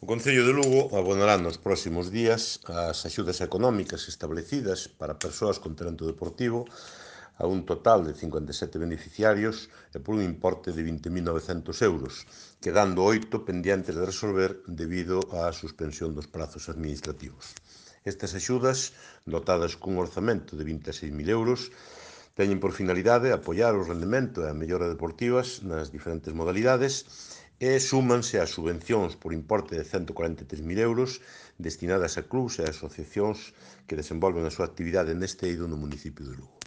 O Concello de Lugo abonará nos próximos días as axudas económicas establecidas para persoas con talento deportivo a un total de 57 beneficiarios e por un importe de 20.900 euros, quedando 8 pendientes de resolver debido á suspensión dos prazos administrativos. Estas axudas, dotadas cun orzamento de 26.000 euros, teñen por finalidade apoiar o rendemento e a mellora deportivas nas diferentes modalidades e súmanse ás subvencións por importe de 143.000 euros destinadas a clubs e asociacións que desenvolven a súa actividade neste eido no municipio de Lugo.